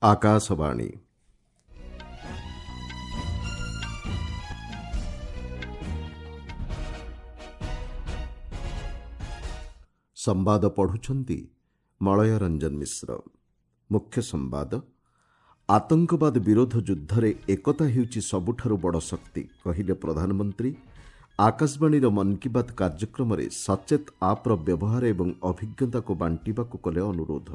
ଆକାଶବାଣୀ। ସମ୍ବାଦ ପଢ଼ୁଛନ୍ତି ମଳୟ ରଞ୍ଜନ ମିଶ୍ର। ମୁଖ୍ୟ ସମ୍ବାଦ। ଆତଙ୍କବାଦ ବିରୋଧ ଯୁଦ୍ଧରେ ଏକତା ହେଉଛି ସବୁଠାରୁ ବଡ଼ ଶକ୍ତି, କହିଲେ ପ୍ରଧାନମନ୍ତ୍ରୀ। ଆକାଶବାଣୀର ମନ୍ କି ବାତ୍ କାର୍ଯ୍ୟକ୍ରମରେ ସଚେତ ଆପ୍ର ବ୍ୟବହାର ଏବଂ ଅଭିଜ୍ଞତାକୁ ବାଣ୍ଟିବାକୁ କଲେ ଅନୁରୋଧ।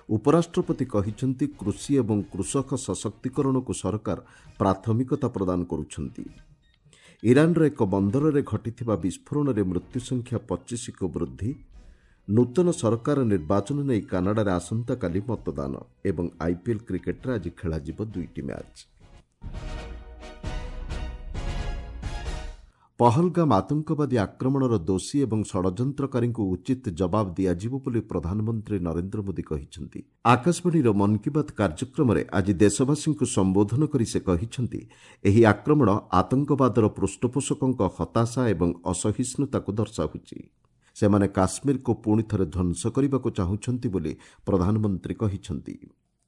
ଉପରାଷ୍ଟ୍ରପତି କହିଛନ୍ତି, କୃଷି ଏବଂ କୃଷକ ସଶକ୍ତିକରଣକୁ ସରକାର ପ୍ରାଥମିକତା ପ୍ରଦାନ କରୁଛନ୍ତି। ଇରାନର ଏକ ବନ୍ଦରରେ ଘଟିଥିବା ବିସ୍ଫୋରଣରେ ମୃତ୍ୟୁ ସଂଖ୍ୟା 25କୁ ବୃଦ୍ଧି। ନୂତନ ସରକାର ନିର୍ବାଚନ ନେଇ କାନାଡାରେ ଆସନ୍ତାକାଲି ମତଦାନ ଏବଂ ଆଇପିଏଲ୍ କ୍ରିକେଟରେ ଆଜି ଖେଳାଯିବ 2ଟି ମ୍ୟାଚ୍। ପହଲଗାମ ଆତଙ୍କବାଦୀ ଆକ୍ରମଣର ଦୋଷୀ ଏବଂ ଷଡ଼ଯନ୍ତ୍ରକାରୀଙ୍କୁ ଉଚିତ ଜବାବ ଦିଆଯିବ ବୋଲି ପ୍ରଧାନମନ୍ତ୍ରୀ ନରେନ୍ଦ୍ର ମୋଦି କହିଛନ୍ତି। ଆକାଶବାଣୀର ମନ୍ କି ବାତ୍ କାର୍ଯ୍ୟକ୍ରମରେ ଆଜି ଦେଶବାସୀଙ୍କୁ ସମ୍ବୋଧନ କରି ସେ କହିଛନ୍ତି, ଏହି ଆକ୍ରମଣ ଆତଙ୍କବାଦର ପୃଷ୍ଠପୋଷକଙ୍କ ହତାଶା ଏବଂ ଅସହିଷ୍ଣୁତାକୁ ଦର୍ଶାଉଛି। ସେମାନେ କାଶ୍ମୀରକୁ ପୁଣି ଥରେ ଧ୍ୱଂସ କରିବାକୁ ଚାହୁଁଛନ୍ତି ବୋଲି ପ୍ରଧାନମନ୍ତ୍ରୀ କହିଛନ୍ତି।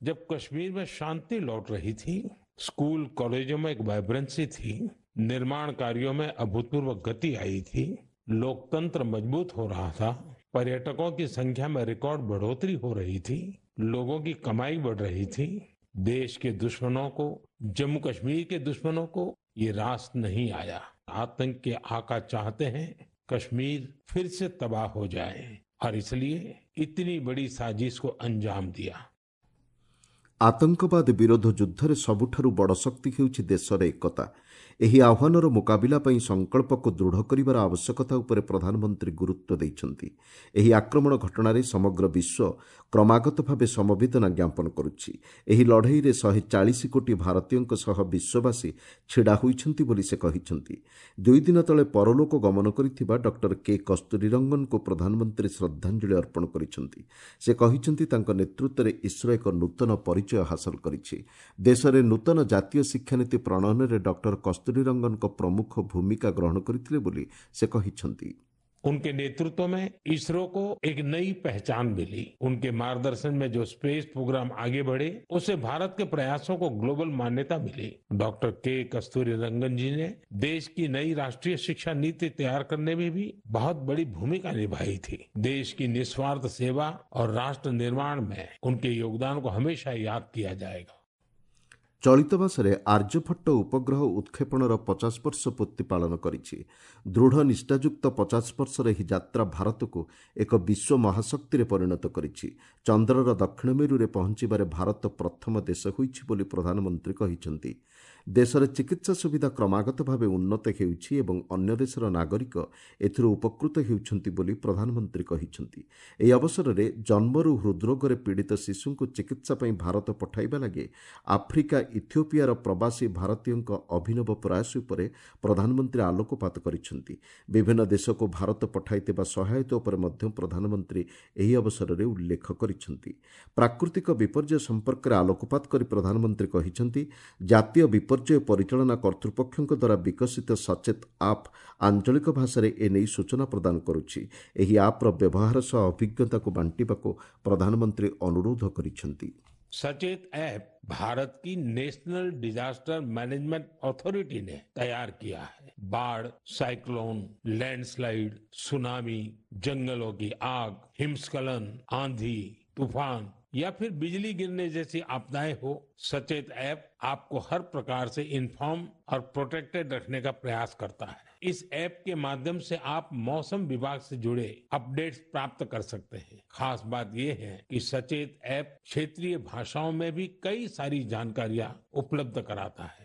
जब कश्मीर में शांति लौट रही थी, स्कूल कॉलेजों में एक वाइब्रेंसी थी, निर्माण कार्यों में अभूतपूर्व गति आई थी, लोकतंत्र मजबूत हो रहा था, पर्यटकों की संख्या में रिकॉर्ड बढ़ोतरी हो रही थी, लोगों की कमाई बढ़ रही थी। देश के दुश्मनों को, जम्मू कश्मीर के दुश्मनों को ये रास नहीं आया। आतंक के आका चाहते हैं कश्मीर फिर से तबाह हो जाए और इसलिए इतनी बड़ी साजिश को अंजाम दिया। ଆତଙ୍କବାଦ ବିରୋଧ ଯୁଦ୍ଧରେ ସବୁଠାରୁ ବଡ଼ ଶକ୍ତି ହେଉଛି ଦେଶର ଏକତା। ଏହି ଆହ୍ୱାନର ମୁକାବିଲା ପାଇଁ ସଂକଳ୍ପକୁ ଦୃଢ଼ କରିବାର ଆବଶ୍ୟକତା ଉପରେ ପ୍ରଧାନମନ୍ତ୍ରୀ ଗୁରୁତ୍ୱ ଦେଇଛନ୍ତି। ଏହି ଆକ୍ରମଣ ଘଟଣାରେ ସମଗ୍ର ବିଶ୍ୱ କ୍ରମାଗତ ଭାବେ ସମବେଦନା ଜ୍ଞାପନ କରୁଛି। ଏହି ଲଢ଼େଇରେ 140 କୋଟି ଭାରତୀୟଙ୍କ ସହ ବିଶ୍ୱବାସୀ ଛିଡ଼ା ହୋଇଛନ୍ତି ବୋଲି ସେ କହିଛନ୍ତି। 2 ଦିନ ତଳେ ପରଲୋକ ଗମନ କରିଥିବା ଡକ୍ଟର କେ କସ୍ତୁରୀରଙ୍ଗନଙ୍କୁ ପ୍ରଧାନମନ୍ତ୍ରୀ ଶ୍ରଦ୍ଧାଞ୍ଜଳି ଅର୍ପଣ କରିଛନ୍ତି। ସେ କହିଛନ୍ତି, ତାଙ୍କ ନେତୃତ୍ୱରେ ଇସ୍ରୋ ଏକ ନୂତନ ପରିଚୟ ହାସଲ କରିଛି। ଦେଶରେ ନୂତନ ଜାତୀୟ ଶିକ୍ଷାନୀତି ପ୍ରଣୟନରେ ଡକ୍ଟର କସ୍ତୁରୀରଙ୍ଗନଙ୍କ ପ୍ରମୁଖ ଭୂମିକା ଗ୍ରହଣ କରିଥିଲେ ବୋଲି ସେ କହିଛନ୍ତି। उनके नेतृत्व में इसरो को एक नई पहचान मिली। उनके मार्गदर्शन में जो स्पेस प्रोग्राम आगे बढ़े, उससे भारत के प्रयासों को ग्लोबल मान्यता मिली। डॉक्टर के कस्तूरी रंगन जी ने देश की नई राष्ट्रीय शिक्षा नीति तैयार करने में भी बहुत बड़ी भूमिका निभाई थी। देश की निस्वार्थ सेवा और राष्ट्र निर्माण में उनके योगदान को हमेशा याद किया जाएगा। ଚଳିତ ମାସରେ ଆର୍ଯ୍ୟଭଟ୍ଟ ଉପଗ୍ରହ ଉତ୍କ୍ଷେପଣର 50 ବର୍ଷ ପୂର୍ତ୍ତି ପାଳନ କରିଛି। ଦୃଢ଼ ନିଷ୍ଠାଯୁକ୍ତ 50 ବର୍ଷର ଏହି ଯାତ୍ରା ଭାରତକୁ ଏକ ବିଶ୍ୱ ମହାଶକ୍ତିରେ ପରିଣତ କରିଛି। ଚନ୍ଦ୍ରର ଦକ୍ଷିଣ ମେରୁରେ ପହଞ୍ଚିବାରେ ଭାରତ ପ୍ରଥମ ଦେଶ ହୋଇଛି ବୋଲି ପ୍ରଧାନମନ୍ତ୍ରୀ କହିଛନ୍ତି। ଦେଶରେ ଚିକିତ୍ସା ସୁବିଧା କ୍ରମାଗତ ଭାବେ ଉନ୍ନତ ହେଉଛି ଏବଂ ଅନ୍ୟ ଦେଶର ନାଗରିକ ଏଥିରୁ ଉପକୃତ ହେଉଛନ୍ତି ବୋଲି ପ୍ରଧାନମନ୍ତ୍ରୀ କହିଛନ୍ତି। ଏହି ଅବସରରେ ଜନ୍ମରୁ ହୃଦ୍ରୋଗରେ ପୀଡ଼ିତ ଶିଶୁଙ୍କୁ ଚିକିତ୍ସା ପାଇଁ ଭାରତ ପଠାଇବା ଲାଗି ଆଫ୍ରିକା ଇଥିଓପିଆର ପ୍ରବାସୀ ଭାରତୀୟଙ୍କ ଅଭିନବ ପ୍ରୟାସ ଉପରେ ପ୍ରଧାନମନ୍ତ୍ରୀ ଆଲୋକପାତ କରିଛନ୍ତି। ବିଭିନ୍ନ ଦେଶକୁ ଭାରତ ପଠାଇଥିବା ସହାୟତା ଉପରେ ମଧ୍ୟ ପ୍ରଧାନମନ୍ତ୍ରୀ ଏହି ଅବସରରେ ଉଲ୍ଲେଖ କରିଛନ୍ତି। ପ୍ରାକୃତିକ ବିପର୍ଯ୍ୟୟ ସମ୍ପର୍କରେ ଆଲୋକପାତ କରି ପ୍ରଧାନମନ୍ତ୍ରୀ କହିଛନ୍ତି, ଜାତୀୟ ବିପର୍ଯ୍ୟୟ ପରିଚାଳନା କର୍ତ୍ତୃପକ୍ଷଙ୍କ ଦ୍ୱାରା ବିକଶିତ ସଚେତ ଆପ୍ ଆଞ୍ଚଳିକ ଭାଷାରେ ଏନେଇ ସୂଚନା ପ୍ରଦାନ କରୁଛି। ଏହି ଆପ୍ର ବ୍ୟବହାର ସହ ଅଭିଜ୍ଞତାକୁ ବାଣ୍ଟିବାକୁ ପ୍ରଧାନମନ୍ତ୍ରୀ ଅନୁରୋଧ କରିଛନ୍ତି। सचेत ऐप भारत की नेशनल डिजास्टर मैनेजमेंट अथॉरिटी ने तैयार किया है। बाढ़, साइक्लोन, लैंडस्लाइड, सुनामी, जंगलों की आग, हिमस्खलन, आंधी, तूफान या फिर बिजली गिरने जैसी आपदाएं हो, सचेत ऐप आपको हर प्रकार से इन्फॉर्म और प्रोटेक्टेड रखने का प्रयास करता है। इस ऐप के माध्यम से आप मौसम विभाग से जुड़े अपडेट्स प्राप्त कर सकते हैं। खास बात यह है कि सचेत ऐप क्षेत्रीय भाषाओं में भी कई सारी जानकारियां उपलब्ध कराता है।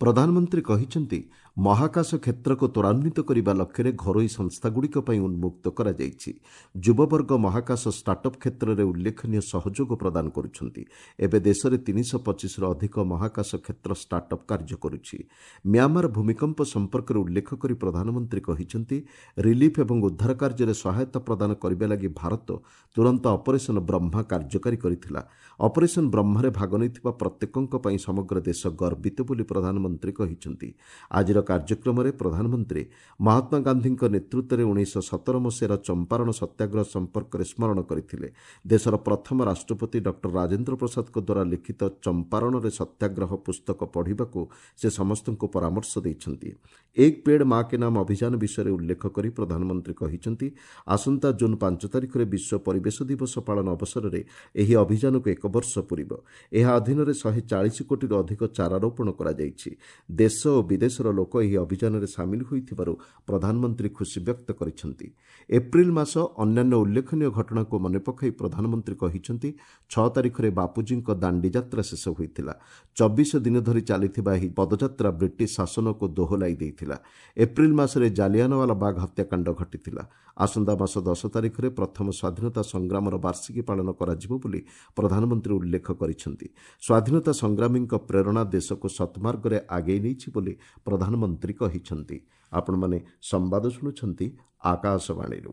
ପ୍ରଧାନମନ୍ତ୍ରୀ କହିଛନ୍ତି, ମହାକାଶ କ୍ଷେତ୍ରକୁ ତ୍ୱରାନ୍ୱିତ କରିବା ଲକ୍ଷ୍ୟରେ ଘରୋଇ ସଂସ୍ଥାଗୁଡ଼ିକ ପାଇଁ ଉନ୍ମୁକ୍ତ କରାଯାଇଛି। ଯୁବବର୍ଗ ମହାକାଶ ଷ୍ଟାର୍ଟଅପ୍ କ୍ଷେତ୍ରରେ ଉଲ୍ଲେଖନୀୟ ସହଯୋଗ ପ୍ରଦାନ କରୁଛନ୍ତି। ଏବେ ଦେଶରେ 325ରୁ ଅଧିକ ମହାକାଶ କ୍ଷେତ୍ର ଷ୍ଟାର୍ଟଅପ୍ କାର୍ଯ୍ୟ କରୁଛି। ମ୍ୟାମାର ଭୂମିକମ୍ପ ସମ୍ପର୍କରେ ଉଲ୍ଲେଖ କରି ପ୍ରଧାନମନ୍ତ୍ରୀ କହିଛନ୍ତି, ରିଲିଫ୍ ଏବଂ ଉଦ୍ଧାର କାର୍ଯ୍ୟରେ ସହାୟତା ପ୍ରଦାନ କରିବା ଲାଗି ଭାରତ ତୁରନ୍ତ ଅପରେସନ୍ ବ୍ରହ୍ମା କାର୍ଯ୍ୟକାରୀ କରିଥିଲା। ଅପରେସନ୍ ବ୍ରହ୍ମାରେ ଭାଗ ନେଇଥିବା ପ୍ରତ୍ୟେକଙ୍କ ପାଇଁ ସମଗ୍ର ଦେଶ ଗର୍ବିତ ବୋଲି ପ୍ରଧାନମନ୍ତ୍ରୀ କହିଛନ୍ତି। ଆଜିର କାର୍ଯ୍ୟକ୍ରମରେ ପ୍ରଧାନମନ୍ତ୍ରୀ ମହାତ୍ମା ଗାନ୍ଧୀଙ୍କ ନେତୃତ୍ୱରେ 1917 ମସିହାର ଚମ୍ପାରଣ ସତ୍ୟାଗ୍ରହ ସମ୍ପର୍କରେ ସ୍ମରଣ କରିଥିଲେ। ଦେଶର ପ୍ରଥମ ରାଷ୍ଟ୍ରପତି ଡକ୍ଟର ରାଜେନ୍ଦ୍ର ପ୍ରସାଦଙ୍କ ଦ୍ୱାରା ଲିଖିତ ଚମ୍ପାରଣରେ ସତ୍ୟାଗ୍ରହ ପୁସ୍ତକ ପଢ଼ିବାକୁ ସେ ସମସ୍ତଙ୍କୁ ପରାମର୍ଶ ଦେଇଛନ୍ତି। ଏକ ପେଡ୍ ମା କେ ନାମ ଅଭିଯାନ ବିଷୟରେ ଉଲ୍ଲେଖ କରି ପ୍ରଧାନମନ୍ତ୍ରୀ କହିଛନ୍ତି, ଆସନ୍ତା ଜୁନ୍ 5 ତାରିଖରେ ବିଶ୍ୱ ପରିବେଶ ଦିବସ ପାଳନ ଅବସରରେ ଏହି ଅଭିଯାନକୁ 1 ବର୍ଷ ପୂରିବ। ଏହା ଅଧୀନରେ 140 କୋଟିରୁ ଅଧିକ ଚାରା ରୋପଣ କରାଯାଇଛି। ଦେଶ ଓ ବିଦେଶର ଲୋକ ଏହି ଅଭିଯାନରେ ସାମିଲ ହୋଇଥିବାରୁ ପ୍ରଧାନମନ୍ତ୍ରୀ ଖୁସି ବ୍ୟକ୍ତ କରିଛନ୍ତି। ଏପ୍ରିଲ ମାସ ଅନ୍ୟାନ୍ୟ ଉଲ୍ଲେଖନୀୟ ଘଟଣାକୁ ମନେ ପକାଇ ପ୍ରଧାନମନ୍ତ୍ରୀ କହିଛନ୍ତି, 6 ତାରିଖରେ ବାପୁଜୀଙ୍କ ଦାଣ୍ଡିଯାତ୍ରା ଶେଷ ହୋଇଥିଲା। 24 ଦିନ ଧରି ଚାଲିଥିବା ଏହି ପଦଯାତ୍ରା ବ୍ରିଟିଶ ଶାସନକୁ ଦୋହଲାଇ ଦେଇଥିଲା। ଏପ୍ରିଲ ମାସରେ ଜାଲିଆନୱାଲା ବାଗ ହତ୍ୟାକାଣ୍ଡ ଘଟିଥିଲା। ଆସନ୍ତା ମାସ 10 ତାରିଖରେ ପ୍ରଥମ ସ୍ୱାଧୀନତା ସଂଗ୍ରାମର ବାର୍ଷିକୀ ପାଳନ କରାଯିବ ବୋଲି ପ୍ରଧାନମନ୍ତ୍ରୀ ଉଲ୍ଲେଖ କରିଛନ୍ତି। ସ୍ୱାଧୀନତା ସଂଗ୍ରାମୀଙ୍କ ପ୍ରେରଣା ଦେଶକୁ ସତ୍ମାର୍ଗରେ ଆଗେଇ ନେଇଛି ବୋଲି ପ୍ରଧାନମନ୍ତ୍ରୀ କହିଛନ୍ତି। ଆପଣମାନେ ସମ୍ବାଦ ଶୁଣୁଛନ୍ତି ଆକାଶବାଣୀରୁ।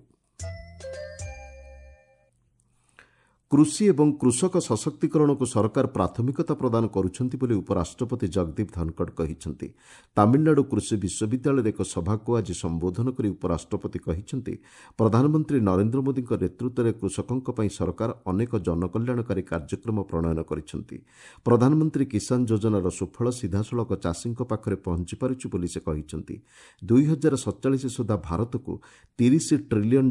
କୃଷି ଏବଂ କୃଷକ ସଶକ୍ତିକରଣକୁ ସରକାର ପ୍ରାଥମିକତା ପ୍ରଦାନ କରୁଛନ୍ତି ବୋଲି ଉପରାଷ୍ଟ୍ରପତି ଜଗଦୀପ ଧନଖଡ଼ କହିଛନ୍ତି। ତାମିଲନାଡୁ କୃଷି ବିଶ୍ୱବିଦ୍ୟାଳୟରେ ଏକ ସଭାକୁ ଆଜି ସମ୍ବୋଧନ କରି ଉପରାଷ୍ଟ୍ରପତି କହିଛନ୍ତି, ପ୍ରଧାନମନ୍ତ୍ରୀ ନରେନ୍ଦ୍ର ମୋଦିଙ୍କ ନେତୃତ୍ୱରେ କୃଷକଙ୍କ ପାଇଁ ସରକାର ଅନେକ ଜନକଲ୍ୟାଣକାରୀ କାର୍ଯ୍ୟକ୍ରମ ପ୍ରଣୟନ କରିଛନ୍ତି। ପ୍ରଧାନମନ୍ତ୍ରୀ କିଷାନ ଯୋଜନାର ସୁଫଳ ସିଧାସଳଖ ଚାଷୀଙ୍କ ପାଖରେ ପହଞ୍ଚି ପାରୁଛି ବୋଲି ସେ କହିଛନ୍ତି। 2047 ସୁଦ୍ଧା ଭାରତକୁ $30 ଟ୍ରିଲିୟନ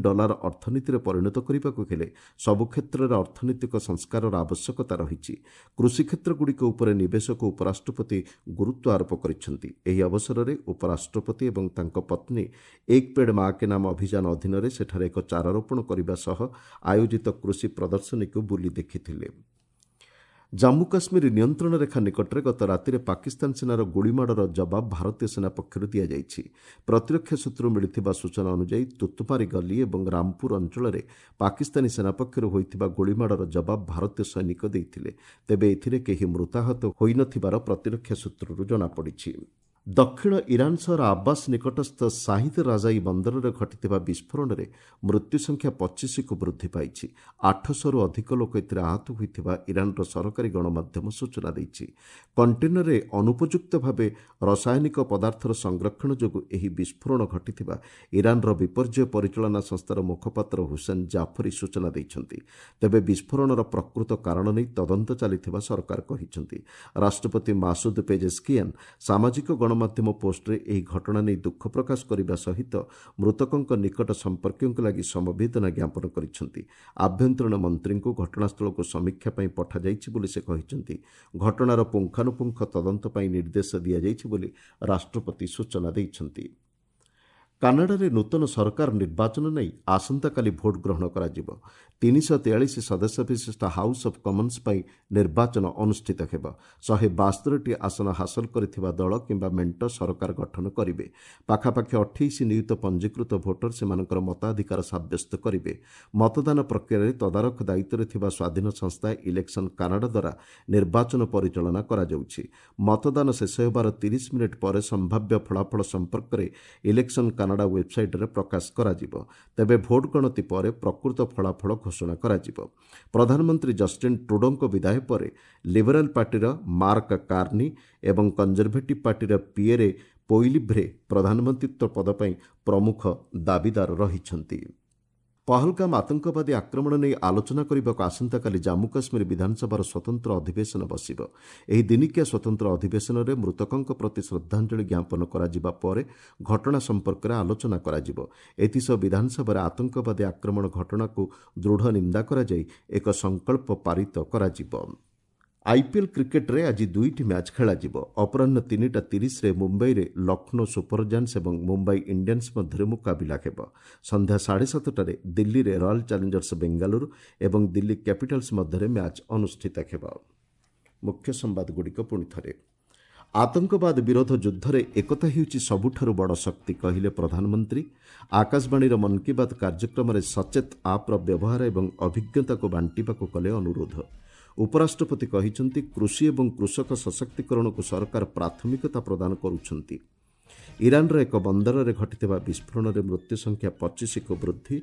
ଅର୍ଥନୀତିରେ ପରିଣତ କରିବାକୁ ହେଲେ ସବୁ କ୍ଷେତ୍ରରେ ଅର୍ଥନୈତିକ ସଂସ୍କାରର ଆବଶ୍ୟକତା ରହିଛି। କୃଷି କ୍ଷେତ୍ରଗୁଡ଼ିକ ଉପରେ ନିବେଶକୁ ଉପରାଷ୍ଟ୍ରପତି ଗୁରୁତ୍ୱ ଆରୋପ କରିଛନ୍ତି। ଏହି ଅବସରରେ ଉପରାଷ୍ଟ୍ରପତି ଏବଂ ତାଙ୍କ ପତ୍ନୀ ଏକ ପେଡ୍ ମା କେ ନାମ ଅଭିଯାନ ଅଧୀନରେ ସେଠାରେ ଏକ ଚାରାରୋପଣ କରିବା ସହ ଆୟୋଜିତ କୃଷି ପ୍ରଦର୍ଶନୀକୁ ବୁଲି ଦେଖିଥିଲେ। ଜାମ୍ମୁ କାଶ୍ମୀର ନିୟନ୍ତ୍ରଣ ରେଖା ନିକଟରେ ଗତ ରାତିରେ ପାକିସ୍ତାନ ସେନାର ଗୁଳିମାଡ଼ର ଜବାବ ଭାରତୀୟ ସେନା ପକ୍ଷରୁ ଦିଆଯାଇଛି। ପ୍ରତିରକ୍ଷା ସୂତ୍ରରୁ ମିଳିଥିବା ସୂଚନା ଅନୁଯାୟୀ ତୁତୁମାରୀ ଗଲି ଏବଂ ରାମପୁର ଅଞ୍ଚଳରେ ପାକିସ୍ତାନୀ ସେନା ପକ୍ଷରୁ ହୋଇଥିବା ଗୁଳିମାଡ଼ର ଜବାବ ଭାରତୀୟ ସୈନିକ ଦେଇଥିଲେ। ତେବେ ଏଥିରେ କେହି ମୃତାହତ ହୋଇନଥିବାର ପ୍ରତିରକ୍ଷା ସୂତ୍ରରୁ ଜଣାପଡ଼ିଛି। ଦକ୍ଷିଣ ଇରାନ ସହର ଆବ୍ବାସ ନିକଟସ୍ଥ ସାହିଦ ରାଜାଇ ବନ୍ଦରରେ ଘଟିଥିବା ବିସ୍ଫୋରଣରେ ମୃତ୍ୟୁ ସଂଖ୍ୟା 25କୁ ବୃଦ୍ଧି ପାଇଛି। 800ରୁ ଅଧିକ ଲୋକ ଏଥିରେ ଆହତ ହୋଇଥିବା ଇରାନର ସରକାରୀ ଗଣମାଧ୍ୟମ ସୂଚନା ଦେଇଛି। କଣ୍ଟେନରରେ ଅନୁପଯୁକ୍ତ ଭାବେ ରାସାୟନିକ ପଦାର୍ଥର ସଂରକ୍ଷଣ ଯୋଗୁଁ ଏହି ବିସ୍ଫୋରଣ ଘଟିଥିବା ଇରାନର ବିପର୍ଯ୍ୟୟ ପରିଚାଳନା ସଂସ୍ଥାର ମୁଖପାତ୍ର ହୁସେନ ଜାଫରି ସୂଚନା ଦେଇଛନ୍ତି। ତେବେ ବିସ୍ଫୋରଣର ପ୍ରକୃତ କାରଣ ନେଇ ତଦନ୍ତ ଚାଲିଥିବା ସରକାର କହିଛନ୍ତି। ରାଷ୍ଟ୍ରପତି ମାସୁଦ ପେଜେସ୍କିଆନ୍ ସାମାଜିକ ଗଣମାଧ୍ୟମ ପୋଷ୍ଟରେ ଏହି ଘଟଣା ନେଇ ଦୁଃଖ ପ୍ରକାଶ କରିବା ସହିତ ମୃତକଙ୍କ ନିକଟ ସମ୍ପର୍କୀୟଙ୍କ ଲାଗି ସମବେଦନା ଜ୍ଞାପନ କରିଛନ୍ତି। ଆଭ୍ୟନ୍ତରୀଣ ମନ୍ତ୍ରୀଙ୍କୁ ଘଟଣାସ୍ଥଳକୁ ସମୀକ୍ଷା ପାଇଁ ପଠାଯାଇଛି ବୋଲି ସେ କହିଛନ୍ତି। ଘଟଣାର ପୁଙ୍ଖାନୁପୁଙ୍ଖ ତଦନ୍ତ ପାଇଁ ନିର୍ଦ୍ଦେଶ ଦିଆଯାଇଛି ବୋଲି ରାଷ୍ଟ୍ରପତି ସୂଚନା ଦେଇଛନ୍ତି। କାନାଡ଼ାରେ ନୂତନ ସରକାର ନିର୍ବାଚନ ନେଇ ଆସନ୍ତାକାଲି ଭୋଟ୍ ଗ୍ରହଣ କରାଯିବ। 343 ସଦସ୍ୟ ବିଶିଷ୍ଟ ହାଉସ୍ ଅଫ୍ କମନ୍ସ ପାଇଁ ନିର୍ବାଚନ ଅନୁଷ୍ଠିତ ହେବ। 172ଟି ଆସନ ହାସଲ କରିଥିବା ଦଳ କିମ୍ବା ମେଣ୍ଟ ସରକାର ଗଠନ କରିବେ। ପାଖାପାଖି 28 ନିୟୁତ ପଞ୍ଜୀକୃତ ଭୋଟର ସେମାନଙ୍କର ମତାଧିକାର ସାବ୍ୟସ୍ତ କରିବେ। ମତଦାନ ପ୍ରକ୍ରିୟାରେ ତଦାରଖ ଦାୟିତ୍ୱରେ ଥିବା ସ୍ୱାଧୀନ ସଂସ୍ଥା ଇଲେକ୍ସନ କାନାଡ଼ା ଦ୍ୱାରା ନିର୍ବାଚନ ପରିଚାଳନା କରାଯାଉଛି। ମତଦାନ ଶେଷ ହେବାର 30 ମିନିଟ୍ ପରେ ସମ୍ଭାବ୍ୟ ଫଳାଫଳ ସମ୍ପର୍କରେ ଇଲେକ୍ସନ କାନାଡ଼ା ୱେବ୍ସାଇଟ୍ରେ ପ୍ରକାଶ କରାଯିବ। ତେବେ ଭୋଟ୍ ଗଣତି ପରେ ପ୍ରକୃତ ଫଳାଫଳ ଘୋଷଣା କରାଯିବ। ପ୍ରଧାନମନ୍ତ୍ରୀ ଜଷ୍ଟିନ୍ ଟ୍ରୁଡୋଙ୍କ ବିଦାୟ ପରେ ଲିବରାଲ ପାର୍ଟିର ମାର୍କ କାର୍ନି ଏବଂ କଞ୍ଜରଭେଟିଭ୍ ପାର୍ଟିର ପିଏରେ ପୋଇଲିଭ୍ରେ ପ୍ରଧାନମନ୍ତ୍ରୀତ୍ୱ ପଦ ପାଇଁ ପ୍ରମୁଖ ଦାବିଦାର ରହିଛନ୍ତି। ପହଲଗାମ ଆତଙ୍କବାଦୀ ଆକ୍ରମଣ ନେଇ ଆଲୋଚନା କରିବାକୁ ଆସନ୍ତାକାଲି ଜାମ୍ମୁ କାଶ୍ମୀର ବିଧାନସଭାର ସ୍ୱତନ୍ତ୍ର ଅଧିବେଶନ ବସିବ। ଏହି ଦିନିକିଆ ସ୍ୱତନ୍ତ୍ର ଅଧିବେଶନରେ ମୃତକଙ୍କ ପ୍ରତି ଶ୍ରଦ୍ଧାଞ୍ଜଳି ଜ୍ଞାପନ କରାଯିବା ପରେ ଘଟଣା ସମ୍ପର୍କରେ ଆଲୋଚନା କରାଯିବ। ଏଥିସହ ବିଧାନସଭାରେ ଆତଙ୍କବାଦୀ ଆକ୍ରମଣ ଘଟଣାକୁ ଦୃଢ଼ ନିନ୍ଦା କରାଯାଇ ଏକ ସଂକଳ୍ପ ପାରିତ କରାଯିବ। ଆଇପିଏଲ୍ କ୍ରିକେଟ୍ରେ ଆଜି 2ଟି ମ୍ୟାଚ୍ ଖେଳାଯିବ। ଅପରାହ୍ନ 3:30ରେ ମୁମ୍ବାଇରେ ଲକ୍ଷ୍ନୌ ସୁପର ଜାଏଣ୍ଟସ୍ ଏବଂ ମୁମ୍ବାଇ ଇଣ୍ଡିଆନ୍ସ ମଧ୍ୟରେ ମୁକାବିଲା ହେବ। ସନ୍ଧ୍ୟା 7:30ରେ ଦିଲ୍ଲୀରେ ରୟାଲ୍ ଚ୍ୟାଲେଞ୍ଜର୍ସ ବେଙ୍ଗାଲୁରୁ ଏବଂ ଦିଲ୍ଲୀ କ୍ୟାପିଟାଲ୍ସ ମଧ୍ୟରେ ମ୍ୟାଚ୍ ଅନୁଷ୍ଠିତ ହେବ। ମୁଖ୍ୟ ସମ୍ବାଦଗୁଡ଼ିକ ପୁଣି ଥରେ। ଆତଙ୍କବାଦ ବିରୋଧ ଯୁଦ୍ଧରେ ଏକତା ହେଉଛି ସବୁଠାରୁ ବଡ଼ ଶକ୍ତି କହିଲେ ପ୍ରଧାନମନ୍ତ୍ରୀ। ଆକାଶବାଣୀର ମନ୍ କି ବାତ୍ କାର୍ଯ୍ୟକ୍ରମରେ ସଚେତ ଆପ୍ର ବ୍ୟବହାର ଏବଂ ଅଭିଜ୍ଞତାକୁ ବାଣ୍ଟିବାକୁ କଲେ ଅନୁରୋଧ। ଉପରାଷ୍ଟ୍ରପତି କହିଛନ୍ତି, କୃଷି ଏବଂ କୃଷକ ସଶକ୍ତିକରଣକୁ ସରକାର ପ୍ରାଥମିକତା ପ୍ରଦାନ କରୁଛନ୍ତି। ଇରାନର ଏକ ବନ୍ଦରରେ ଘଟିଥିବା ବିସ୍ଫୋରଣରେ ମୃତ୍ୟୁ ସଂଖ୍ୟା 25କୁ ବୃଦ୍ଧି।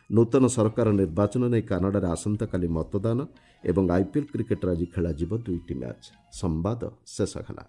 ନୂତନ ସରକାର ନିର୍ବାଚନ ନେଇ କାନାଡ଼ାରେ ଆସନ୍ତାକାଲି ମତଦାନ ଏବଂ ଆଇପିଏଲ୍ କ୍ରିକେଟ୍ରେ ଆଜି ଖେଳାଯିବ 2ଟି ମ୍ୟାଚ୍। ସମ୍ବାଦ ଶେଷ ହେଲା।